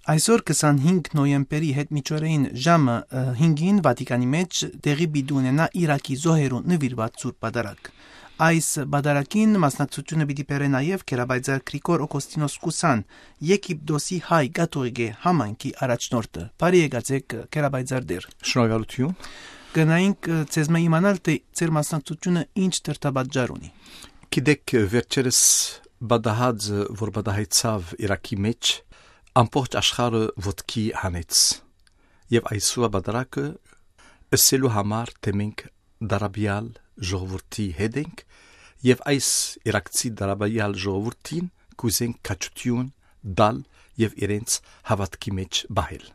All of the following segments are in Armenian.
Այսօր 25 նոյեմբերի հետմիջօրեին ժամը 5-ին Վատիկանի մեջ տեղի պիտի ունենա Իրաքի զոհերուն նվիրված Սուրբ Պատարագ։ Այս բադարակին մասնակցությունը պիտի բերե նաև Քերաբայձար Գրիգոր Օգոստինոս Կուսան, Եգիպտոսի հայ կաթողիկե համայնքի առաջնորդը։ Բարի եկացեք Քերաբայձար դեր։ Շնորհակալություն։ Գնայինք ցեզ մե իմանալ թե ձեր մասնակցությունը ինչ դրդաբաժար ունի։ Գիտեք վերջերս բադահածը, որ բադահայցավ Իրաքի մեջ, ամբողջ աշխարհը ոտքի հանեց։ Եվ այսօր բադարակը ըսելու համար թե մենք դարաբյալ ժողովրդի հետ ենք եւ այս իրաքցի դարաբյալ ժողովրդին կուզենք քաջություն դալ եւ իրենց հավատքի մեջ բահել։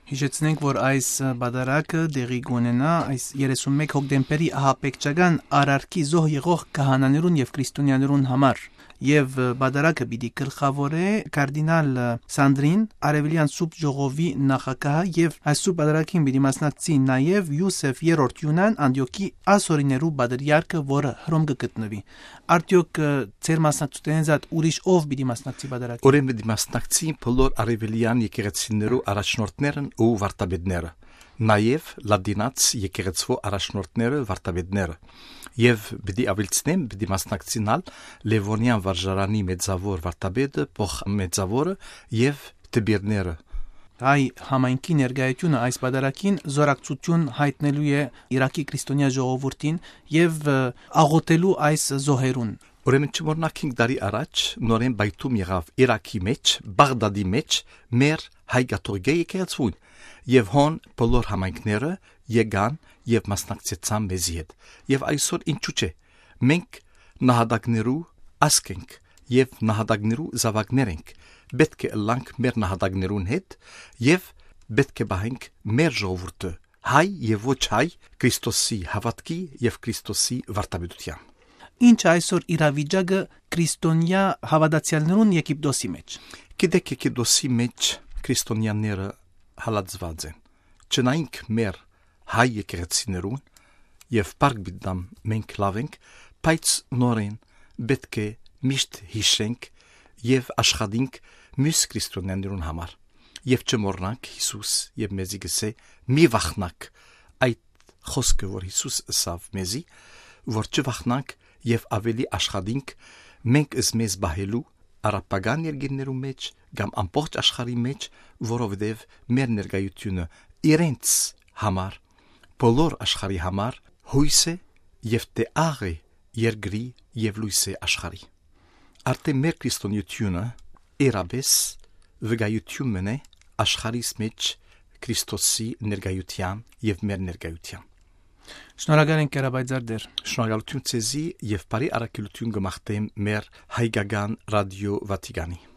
Հիշեցնենք, որ այս բադարակը դեղի կունենա այս 31 հոկտեմբերի ահապեկչական արարքի զոհ եղող քահանաներուն եւ քրիստոնյաներուն համար։ Եվ բադարակը պիտի գլխավորե կարդինալ Սանդրին, Արևելյան Սուրբ Ժողովի նախագահը եւ այս Սուրբ բադարակին պիտի մասնակցի նաեւ Յուսեֆ III Յունան Անդիոքի ասորիներու բادرյարքը, որը հռոմ կգտնվի։ Արդյոք ձեր մասնակցությունից այդ ուրիշ ով պիտի մասնակցի բادرակին։ Ուրեմն պիտի մասնակցի բոլոր արևելյան եկեղեցիներու առաջնորդներն ու վարդապետները, նաեւ լադինաց եկեղեցու առաջնորդները, վարդապետները։ Եվ պիտի ավելցնեմ, պիտի մասնակցինալ Լևոնյան վարժարանի մեծավոր վարդապետը, փոխ մեծավորը եւ դբիրները։ Հայ համայնքի ներկայությունը այս բادرակին զորակցություն հայտնելու է Իրաքի քրիստոնյա ժողովրդին եւ աղոթելու այս զոհերուն։ Ուրեմն չմոռնանք 5 տարի առաջ նորեն բայթում եղավ Իրաքի մեջ, Բաղդադի մեջ մեր հայ կաթողիկե եկեղեցուն եւ հոն բոլոր համայնքները եկան եւ մասնակցեցան մեզի հետ։ Եվ այսօր ինչու՞ չէ։ Մենք նահատակներու ասկ ենք եւ նահատակներու զավակներ ենք։ Պետք է լանք մեր նահատակներուն հետ եւ պետք է բահենք մեր ժողովուրդը հայ եւ ոչ հայ Քրիստոսի հավատքի եւ Քրիստոսի վարդապետության։ Ինչ այսօր իրավիճակը քրիստոնյա հավատացյալներուն Եգիպտոսի մեջ։ Գիտեք Եգիպտոսի մեջ քրիստոնյաները հալածված են։ Չնայինք մեր հայ եկեղեցիներուն եւ պարկ բիդամ մենք լավ ենք, բայց նորեն պետք է միշտ հիշենք եւ աշխատենք մյուս քրիստոնյաներուն համար։ Եվ չմոռնանք Հիսուս եւ մեզի գսե մի վախնակ այդ խոսքը, որ Հիսուս ասավ մեզի, որ չվախնանք եւ ավելի աշխատենք մենք մեզ բահելու արաբական երկրներու մեջ կամ ամբողջ աշխարհի մեջ, որովհետեւ մեր ներկայությունը իրենց համար, բոլոր աշխարհի համար հույս է եւ տեղ է երկրի եւ լույսի աշխարհի։ Արդեն մեր քրիստոնեությունը երբես վկայություն մնե աշխարհիս մեջ Քրիստոսի ներկայության եւ մեր ներկայության։ Շնորհակալ ենք Քերաբայձար դեր։ Շնորհակալություն ցեզի եւ բարի առաքելություն գմախտեմ մեր հայկական ռադիո Վատիկանի։